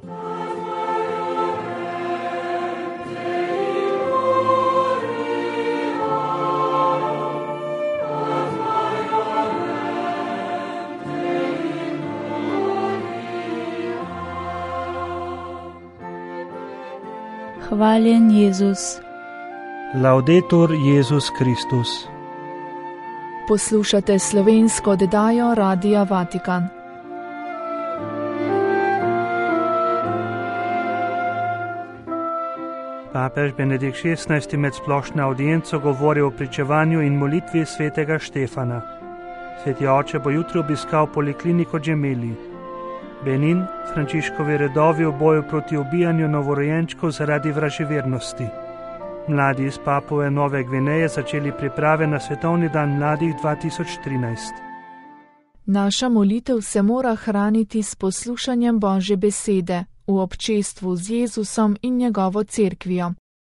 Hvaljen Jezus. Laudetur Jezus Kristus. Poslušate slovensko oddajo Radia Vatikan. Papež Benedikt XVI med splošno audienco govori o pričevanju in molitvi svetega Štefana. Sveti oče bo jutri obiskal polikliniko Gemelli. Benin, Frančiškovi redovi v boju proti ubijanju novorojenčkov zaradi vraževernosti. Mladi iz Papue Nove Gvineje začeli priprave na Svetovni dan mladih 2013. Naša molitev se mora hraniti s poslušanjem Božje besede v občestvu z Jezusom in njegovo cerkvijo.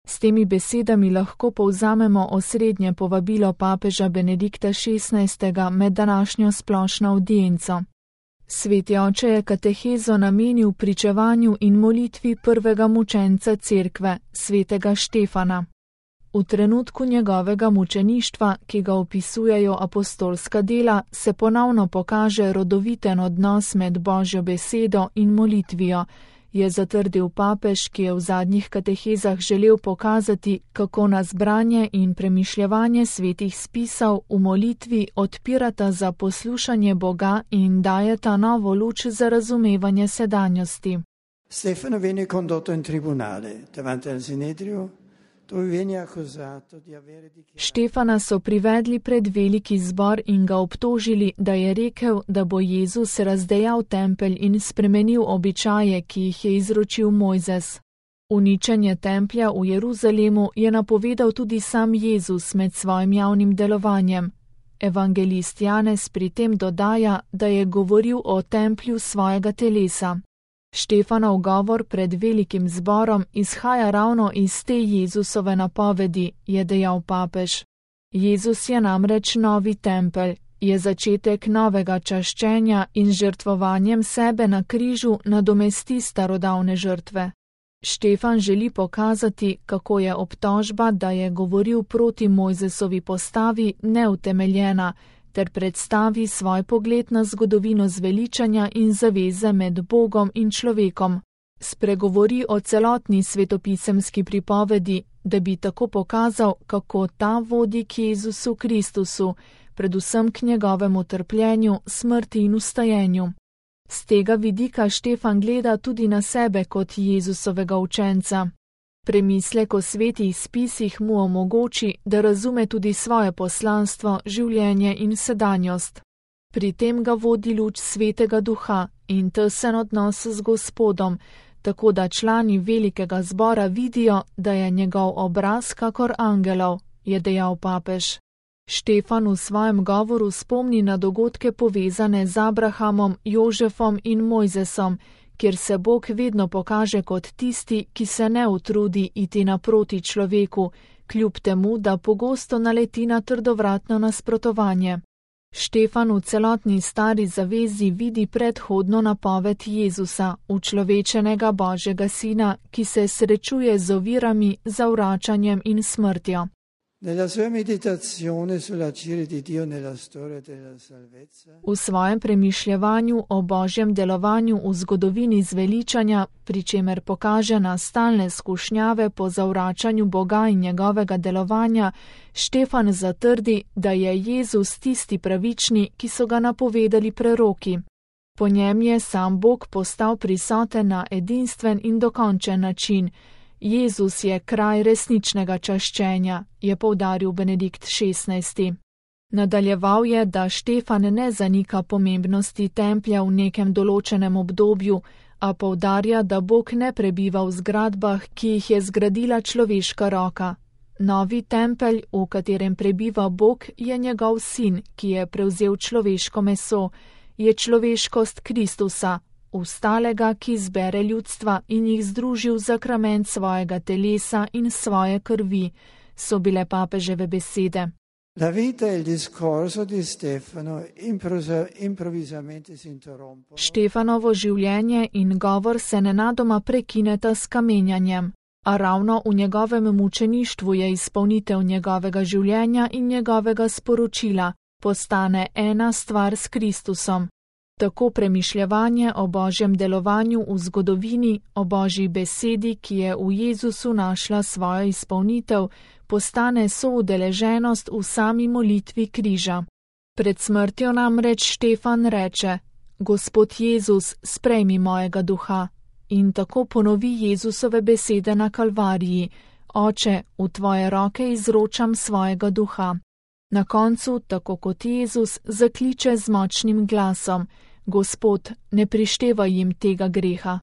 S temi besedami lahko povzamemo osrednje povabilo papeža Benedikta XVI med današnjo splošno audienco. Sveti oče je katehezo namenil pričevanju in molitvi prvega mučenca cerkve, svetega Štefana. V trenutku njegovega mučeništva, ki ga opisujejo apostolska dela, se ponovno pokaže rodoviten odnos med Božjo besedo in molitvijo, je zatrdil papež, ki je v zadnjih katehezah želel pokazati, kako nas branje in premišljevanje svetih spisov v molitvi odpirata za poslušanje Boga in dajeta novo luč za razumevanje sedanjosti. Stefano venne condotto in tribunale davanti al Sinedrio, dove venne accusato di avere dichiarato. Štefana so privedli pred veliki zbor in ga obtožili, da je rekel, da bo Jezus razdejal tempelj in spremenil običaje, ki jih je izročil Mojzes. Uničenje templja v Jeruzalemu je napovedal tudi sam Jezus med svojim javnim delovanjem. Evangelist Janez pri tem dodaja, da je govoril o templju svojega telesa. Štefanov govor pred velikim zborom izhaja ravno iz te Jezusove napovedi, je dejal papež. Jezus je namreč novi tempelj, je začetek novega čaščenja in žrtvovanjem sebe na križu nadomesti starodavne žrtve. Štefan želi pokazati, kako je obtožba, da je govoril proti Mojzesovi postavi, neutemeljena, ter predstavi svoj pogled na zgodovino zveličanja in zaveze med Bogom in človekom. Spregovori o celotni svetopisemski pripovedi, da bi tako pokazal, kako ta vodi k Jezusu Kristusu, predvsem k njegovemu trpljenju, smrti in vstajenju. Z tega vidika Štefan gleda tudi na sebe kot Jezusovega učenca. Premislek o svetih spisih mu omogoči, da razume tudi svoje poslanstvo, življenje in sedanjost. Pri tem ga vodi luč svetega duha in tesen odnos z Gospodom, tako da člani velikega zbora vidijo, da je njegov obraz kakor angelov, je dejal papež. Štefan v svojem govoru spomni na dogodke povezane z Abrahamom, Jožefom in Mojzesom, kjer se Bog vedno pokaže kot tisti, ki se ne utrudi iti naproti človeku, kljub temu, da pogosto naleti na trdovratno nasprotovanje. Štefan v celotni stari zavezi vidi predhodno napoved Jezusa, učlovečenega Božjega sina, ki se srečuje z ovirami, zavračanjem in smrtjo. V svojem premišljevanju o Božjem delovanju v zgodovini zveličanja, pri čemer pokaže na stalne skušnjave po zavračanju Boga in njegovega delovanja, Štefan zatrdi, da je Jezus tisti pravični, ki so ga napovedali preroki. Po njem je sam Bog postal prisoten na edinstven in dokončen način. Jezus je kraj resničnega čaščenja, je poudaril Benedikt XVI. Nadaljeval je, da Štefan ne zanika pomembnosti templja v nekem določenem obdobju, a poudarja, da Bog ne prebiva v zgradbah, ki jih je zgradila človeška roka. Novi tempelj, v katerem prebiva Bog, je njegov sin, ki je prevzel človeško meso, je človeškost Kristusa, ustalega, ki zbere ljudstva in jih združi v zakrament svojega telesa in svoje krvi, so bile papeževe besede. La vita e il discorso di Stefano improvvisamente si interrompono. Štefanovo življenje in govor se nenadoma prekineta s kamenjanjem, a ravno v njegovem mučeništvu je izpolnitev njegovega življenja in njegovega sporočila, postane ena stvar s Kristusom. Tako premišljevanje o Božjem delovanju v zgodovini, o Božji besedi, ki je v Jezusu našla svojo izpolnitev, postane soudeleženost v sami molitvi križa. Pred smrtjo namreč Štefan reče: Gospod Jezus, sprejmi mojega duha. In tako ponovi Jezusove besede na Kalvariji: Oče, v tvoje roke izročam svojega duha. Na koncu, tako kot Jezus, zakliče z močnim glasom: Gospod, ne prištevaj jim tega greha.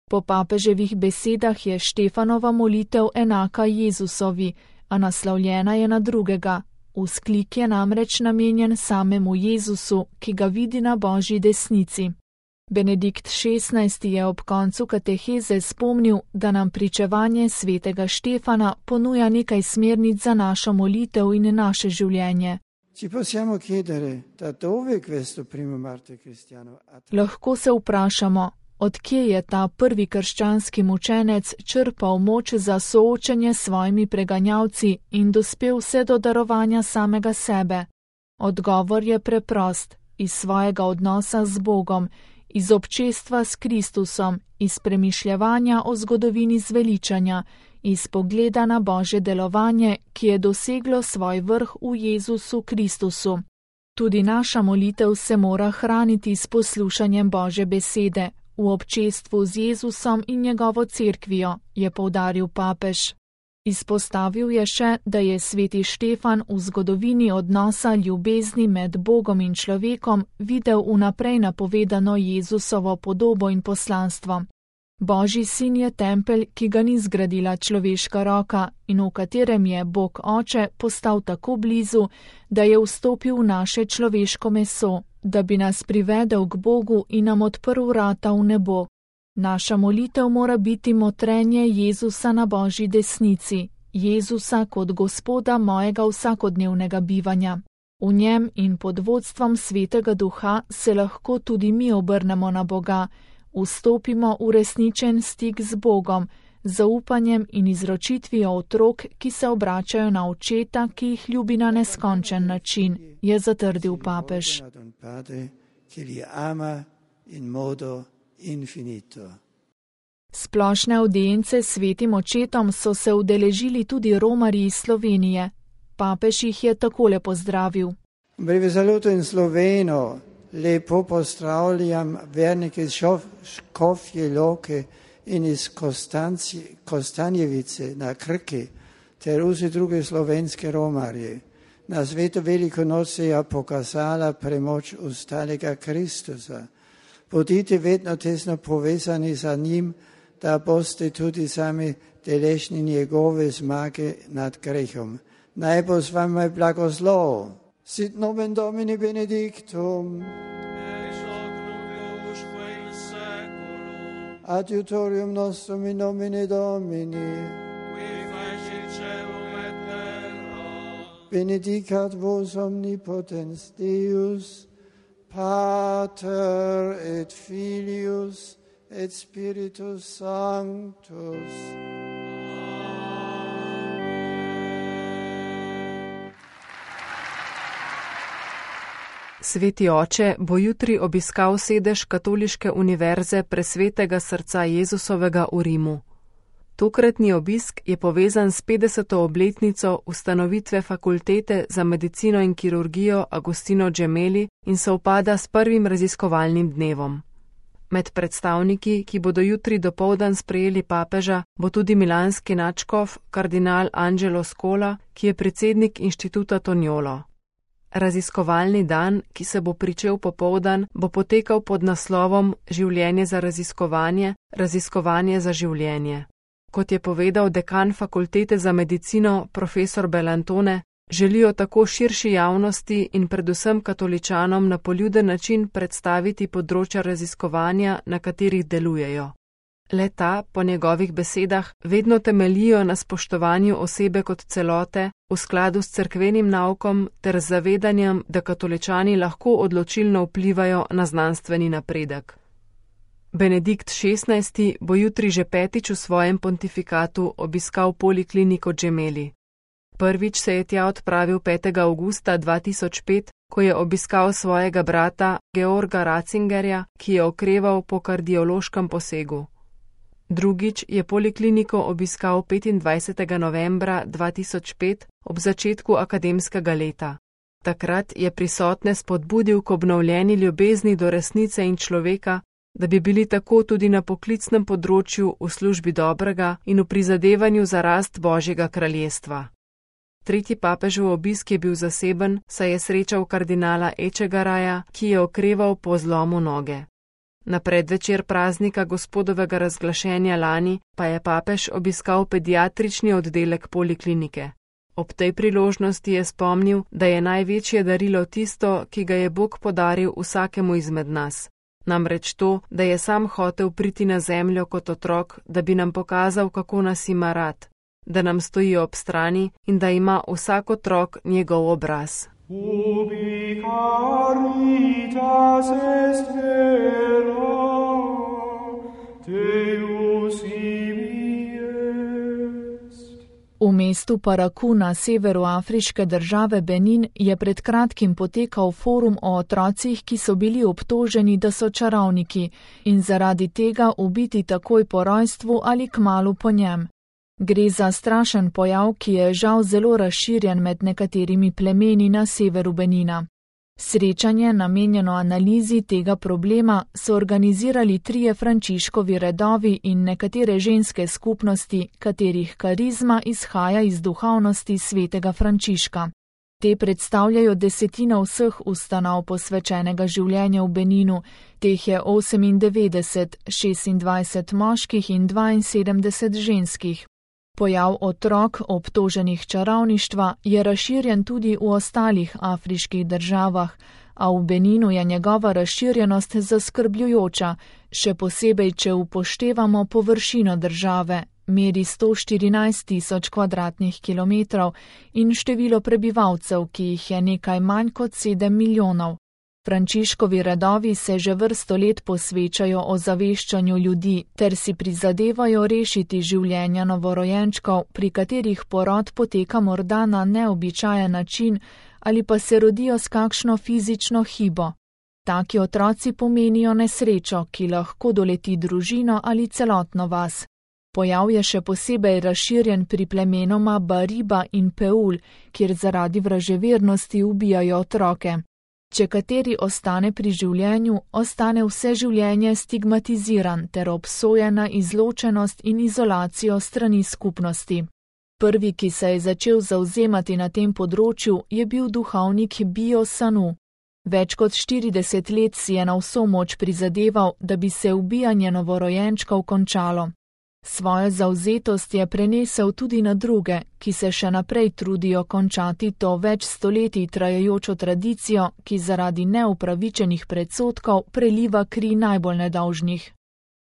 Po papeževih besedah je Štefanova molitev enaka Jezusovi, a naslovljena je na drugega. Vzklik je namreč namenjen samemu Jezusu, ki ga vidi na Božji desnici. Benedikt XVI. Je ob koncu kateheze spomnil, da nam pričevanje svetega Štefana ponuja nekaj smernic za našo molitev in naše življenje. Lahko se vprašamo, odkje je ta prvi krščanski mučenec črpal moč za soočenje s svojimi preganjalci in dospel vse do darovanja samega sebe. Odgovor je preprost: iz svojega odnosa z Bogom, iz občestva s Kristusom, iz premišljevanja o zgodovini zveličanja, iz pogleda na Božje delovanje, ki je doseglo svoj vrh v Jezusu Kristusu. Tudi naša molitev se mora hraniti s poslušanjem Božje besede, v občestvu z Jezusom in njegovo cerkvijo, je poudaril papež. Izpostavil je še, da je sveti Štefan v zgodovini odnosa ljubezni med Bogom in človekom videl vnaprej napovedano Jezusovo podobo in poslanstvo. Božji sin je tempelj, ki ga ni zgradila človeška roka in v katerem je Bog Oče postal tako blizu, da je vstopil v naše človeško meso, da bi nas privedel k Bogu in nam odprl vrata v nebo. Naša molitev mora biti motrenje Jezusa na Božji desnici, Jezusa kot Gospoda mojega vsakodnevnega bivanja. V njem in pod vodstvom Svetega Duha se lahko tudi mi obrnemo na Boga, vstopimo v resničen stik z Bogom, z zaupanjem in izročitvijo otrok, ki se obračajo na očeta, ki jih ljubi na neskončen način, je zatrdil papež. Splošne avdience s svetim očetom so se udeležili tudi romarji iz Slovenije. Papež jih je takole pozdravil. Breve saluto in Sloveno, lepo pozdravljam vernike iz Škofje Loke in iz Kostanjevice na Krki, ter vse druge slovenske romarje. Na svetu veliko noč se je pokazala premoč ustalega Kristusa. Bodite vedno tesno povezani za njim, da boste tudi sami deležni njegove zmage nad grehom. Naj bo z vami blagoslov. Sit nomen Domini benedictum. Adiutorium nostrum in nomine Domini. Benedicat vos omnipotens Deus, Pater et Filius et Spiritus Sanctus. Sveti oče bo jutri obiskal sedež Katoliške univerze Presvetega srca Jezusovega v Rimu. Tokratni obisk je povezan s 50. obletnico ustanovitve Fakultete za medicino in kirurgijo Agostino Gemelli in sovpada s prvim raziskovalnim dnevom. Med predstavniki, ki bodo jutri dopoldan sprejeli papeža, bo tudi milanski nadškof kardinal Angelo Scola, ki je predsednik inštituta Toniolo. Raziskovalni dan, ki se bo pričel popoldan, bo potekal pod naslovom Življenje za raziskovanje, raziskovanje za življenje. Kot je povedal dekan Fakultete za medicino profesor Belantone, želijo tako širši javnosti in predvsem katoličanom na poljuden način predstaviti področja raziskovanja, na katerih delujejo. Le-ta, po njegovih besedah, vedno temeljijo na spoštovanju osebe kot celote, v skladu s cerkvenim naukom ter z zavedanjem, da katoličani lahko odločilno vplivajo na znanstveni napredek. Benedikt XVI. Bo jutri že 5. v svojem pontifikatu obiskal polikliniko Gemelli. Prvič se je tja odpravil 5. avgusta 2005, ko je obiskal svojega brata Georga Ratzingerja, ki je okreval po kardiološkem posegu. Drugič je polikliniko obiskal 25. novembra 2005 ob začetku akademskega leta. Takrat je prisotne spodbudil k obnovljeni ljubezni do resnice in človeka, da bi bili tako tudi na poklicnem področju v službi dobrega in v prizadevanju za rast Božjega kraljestva. Tretji papežev obisk je bil zaseben, saj je srečal kardinala Echegaraja, ki je okreval po zlomu noge. Na predvečer praznika Gospodovega razglašenja lani pa je papež obiskal pediatrični oddelek poliklinike. Ob tej priložnosti je spomnil, da je največje darilo tisto, ki ga je Bog podaril vsakemu izmed nas. Namreč to, da je sam hotel priti na zemljo kot otrok, da bi nam pokazal, kako nas ima rad, da nam stoji ob strani in da ima vsak otrok njegov obraz. Ubi caritas est vera, Deus ibi est. V mestu Paraku na severu afriške države Benin je pred kratkim potekal forum o otrocih, ki so bili obtoženi, da so čarovniki in zaradi tega ubiti takoj po rojstvu ali kmalu po njem. Gre za strašen pojav, ki je žal zelo razširjen med nekaterimi plemeni na severu Benina. Srečanje, namenjeno analizi tega problema, so organizirali 3 Frančiškovi redovi in nekatere ženske skupnosti, katerih karizma izhaja iz duhovnosti svetega Frančiška. Te predstavljajo 10% vseh ustanov posvečenega življenja v Beninu, teh je 98, 26 moških in 72 ženskih. Pojav otrok obtoženih čarovništva je razširjen tudi v ostalih afriških državah, a v Beninu je njegova razširjenost zaskrbljujoča, še posebej, če upoštevamo površino države, meri 114.000 kvadratnih kilometrov in število prebivalcev, ki jih je nekaj manj kot 7 milijonov. Frančiškovi redovi se že vrsto let posvečajo ozaveščanju ljudi ter si prizadevajo rešiti življenja novorojenčkov, pri katerih porod poteka morda na neobičajen način ali pa se rodijo s kakšno fizično hibo. Taki otroci pomenijo nesrečo, ki lahko doleti družino ali celotno vas. Pojav je še posebej razširjen pri plemenoma Bariba in Peul, kjer zaradi vraževernosti ubijajo otroke. Če kateri ostane pri življenju, ostane vse življenje stigmatiziran ter obsojen na izločenost in izolacijo strani skupnosti. Prvi, ki se je začel zavzemati na tem področju, je bil duhovnik Bio Sanu. Več kot 40 let si je na vso moč prizadeval, da bi se ubijanje novorojenčkov končalo. Svojo zavzetost je prenesel tudi na druge, ki se še naprej trudijo končati to več stoletij trajajočo tradicijo, ki zaradi neupravičenih predsodkov preliva kri najbolj nedolžnih.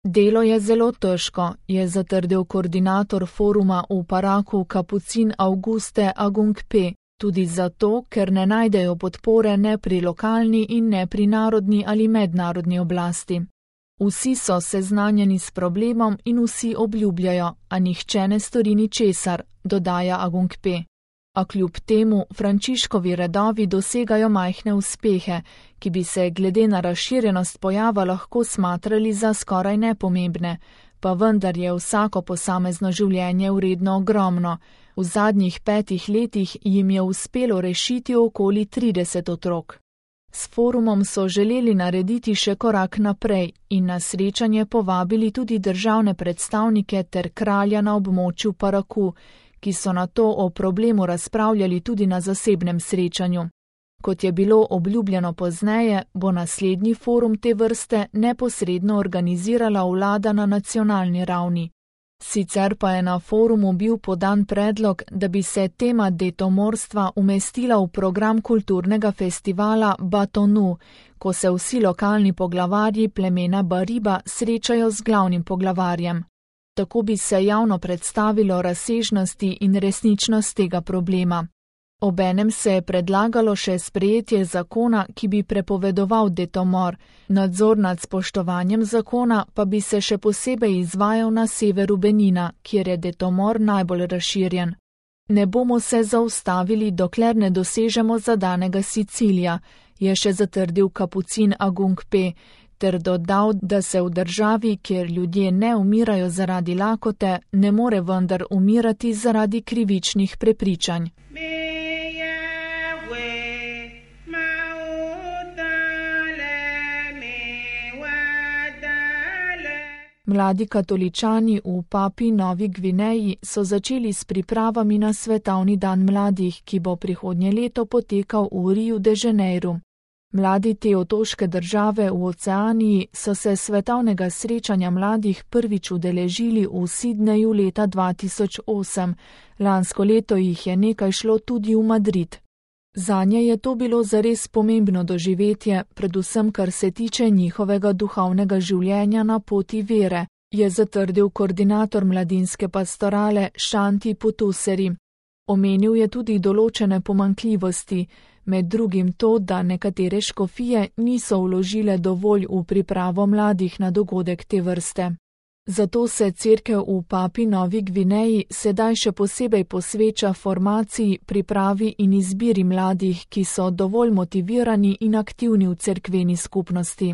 Delo je zelo težko, je zatrdil koordinator foruma v Paraku kapucin Auguste Agungpe, tudi zato, ker ne najdejo podpore ne pri lokalni in ne pri narodni ali mednarodni oblasti. Vsi so seznanjeni s problemom in vsi obljubljajo, a nihče ne stori ničesar, dodaja Agungpe. A kljub temu Frančiškovi redovi dosegajo majhne uspehe, ki bi se glede na razširjenost pojava lahko smatrali za skoraj nepomembne, pa vendar je vsako posamezno življenje vredno ogromno. V zadnjih 5 letih jim je uspelo rešiti okoli 30 otrok. S forumom so želeli narediti še korak naprej in na srečanje povabili tudi državne predstavnike ter kralja na območju Paraku, ki so na to o problemu razpravljali tudi na zasebnem srečanju. Kot je bilo obljubljeno pozneje, bo naslednji forum te vrste neposredno organizirala vlada na nacionalni ravni. Sicer pa je na forumu bil podan predlog, da bi se tema detomorstva umestila v program kulturnega festivala Batonu, ko se vsi lokalni poglavarji plemena Bariba srečajo z glavnim poglavarjem. Tako bi se javno predstavilo razsežnosti in resničnost tega problema. Obenem se je predlagalo še sprejetje zakona, ki bi prepovedoval detomor, nadzor nad spoštovanjem zakona pa bi se še posebej izvajal na severu Benina, kjer je detomor najbolj razširjen. Ne bomo se zaustavili, dokler ne dosežemo zadanega si cilja, je še zatrdil kapucin Agung P., ter dodal, da se v državi, kjer ljudje ne umirajo zaradi lakote, ne more vendar umirati zaradi krivičnih prepričanj. Mladi katoličani v Papui Novi Gvineji so začeli s pripravami na svetovni dan mladih, ki bo prihodnje leto potekal v Riu de Janeiro. Mladi te otoške države v Oceaniji so se svetovnega srečanja mladih prvič udeležili v Sidneju leta 2008, lansko leto jih je nekaj šlo tudi v Madrid. Zanje je to bilo zares pomembno doživetje, predvsem kar se tiče njihovega duhovnega življenja na poti vere, je zatrdil koordinator mladinske pastorale Shanti Putuseri. Omenil je tudi določene pomanjkljivosti, med drugim to, da nekatere škofije niso vložile dovolj v pripravo mladih na dogodek te vrste. Zato se cerkev v Papui Novi Gvineji sedaj še posebej posveča formaciji, pripravi in izbiri mladih, ki so dovolj motivirani in aktivni v cerkveni skupnosti.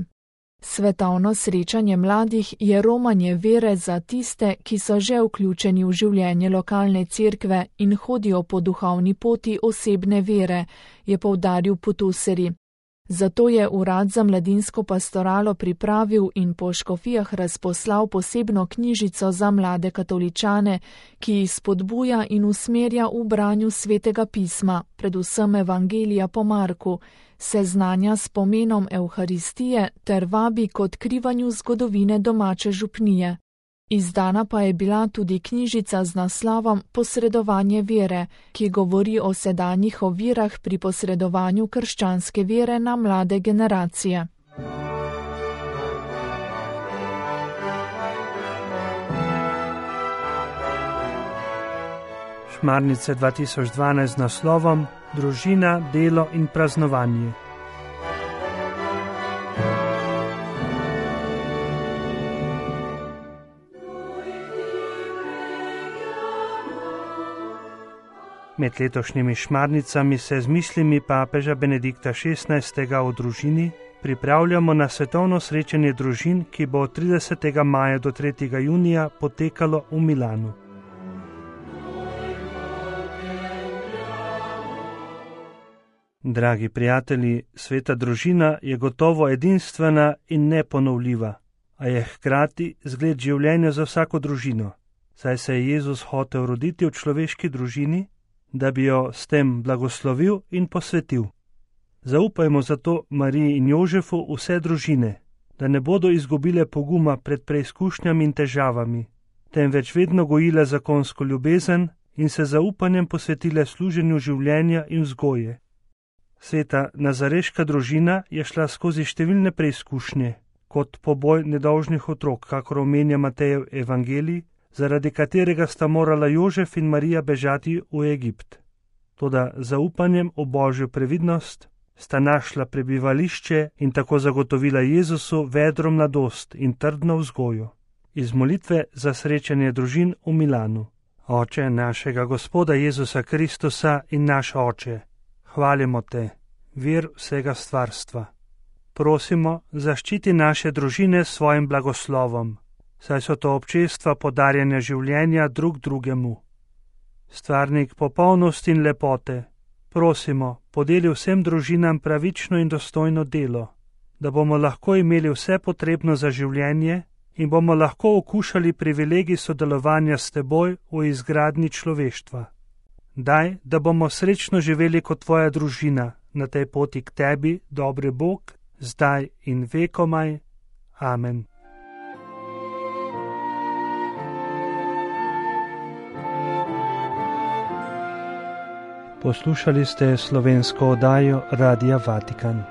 Svetovno srečanje mladih je romanje vere za tiste, ki so že vključeni v življenje lokalne cerkve in hodijo po duhovni poti osebne vere, je poudaril Putuseri. Zato je Urad za mladinsko pastoralo pripravil in po škofijah razposlal posebno knjižico za mlade katoličane, ki jih spodbuja in usmerja v branju svetega pisma, predvsem Evangelija po Marku, seznanja s pomenom Evharistije ter vabi k odkrivanju zgodovine domače župnije. Izdana pa je bila tudi knjižica z naslovom Posredovanje vere, ki govori o sedanjih ovirah pri posredovanju krščanske vere na mlade generacije. Šmarnice 2012 z naslovom Družina, delo in praznovanje. Med letošnjimi šmarnicami se z mislimi papeža Benedikta XVI. O družini pripravljamo na svetovno srečanje družin, ki bo od 30. maja do 3. junija potekalo v Milanu. Dragi prijatelji, sveta družina je gotovo edinstvena in neponovljiva, a je hkrati zgled življenja za vsako družino, saj se je Jezus hotel roditi v človeški družini, da bi jo s tem blagoslovil in posvetil. Zaupajmo zato Mariji in Jožefu vse družine, da ne bodo izgubile poguma pred preizkušnjami in težavami, temveč vedno gojile zakonsko ljubezen in se zaupanjem posvetile služenju življenja in vzgoje. Sveta nazareška družina je šla skozi številne preizkušnje, kot poboj nedolžnih otrok, kakor omenja Matejev evangelij, zaradi katerega sta morala Jožef in Marija bežati v Egipt. Toda zaupanjem v Božjo previdnost sta našla prebivališče in tako zagotovila Jezusu vedro mladost in trdno vzgojo. Iz molitve za srečanje družin v Milanu. Oče našega Gospoda Jezusa Kristusa in naš Oče, hvalimo te, vir vsega stvarstva. Prosimo, zaščiti naše družine s svojim blagoslovom, saj so to občestva podarjanja življenja drug drugemu. Stvarnik popolnosti in lepote, prosimo, podeli vsem družinam pravično in dostojno delo, da bomo lahko imeli vse potrebno za življenje in bomo lahko okušali privilegij sodelovanja s teboj v izgradnji človeštva. Daj, da bomo srečno živeli kot tvoja družina na tej poti k tebi, dobri Bog, zdaj in vekomaj. Amen. Poslušali ste slovensko oddajo Radia Vatikan.